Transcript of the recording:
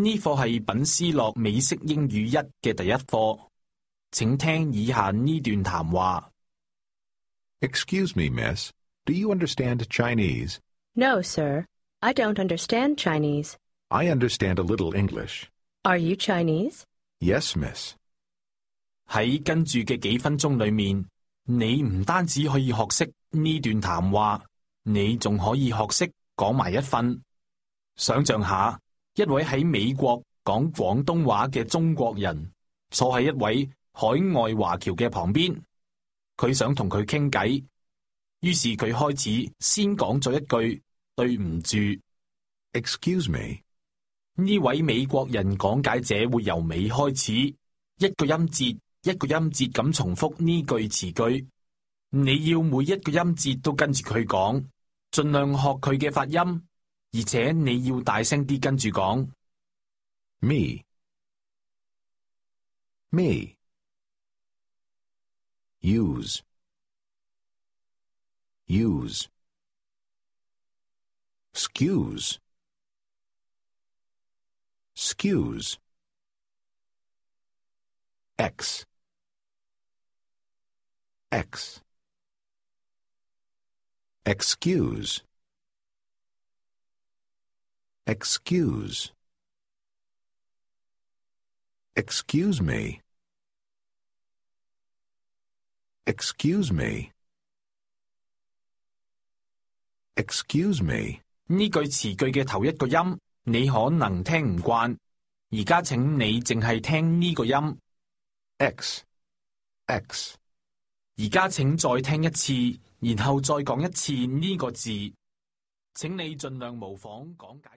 呢課係品思樂美式英語1嘅第一課，請聽以下呢段談話。Excuse me, miss. Do you understand Chinese? No, sir. I don't understand Chinese. I understand a little English. Are you Chinese? Yes, miss. 喺跟住嘅幾分鐘裏面，你唔單止可以學識呢段談話，你仲可以學識講埋一份。想象下，一位喺美國講廣東話嘅中國人，坐喺一位海外華僑嘅旁邊，佢想同佢傾偈，於是佢開始先講咗一句對唔住。Excuse me. 呢位美國人講解者會由尾開始，一個音節一個音節咁重複呢句詞句。你要每一個音節都跟住佢講，盡量學佢嘅發音，而且你要大聲啲跟住講。Me. Me. Use. Use. Excuse. Excuse. X. X. Excuse. Excuse. Excuse me. Excuse me. Excuse me. 呢句詞句嘅頭一個音，你可能聽唔慣，而家請你淨係聽呢個音 X. X. 而家請再聽一次，然後再講一次呢個字，請你盡量模仿講解。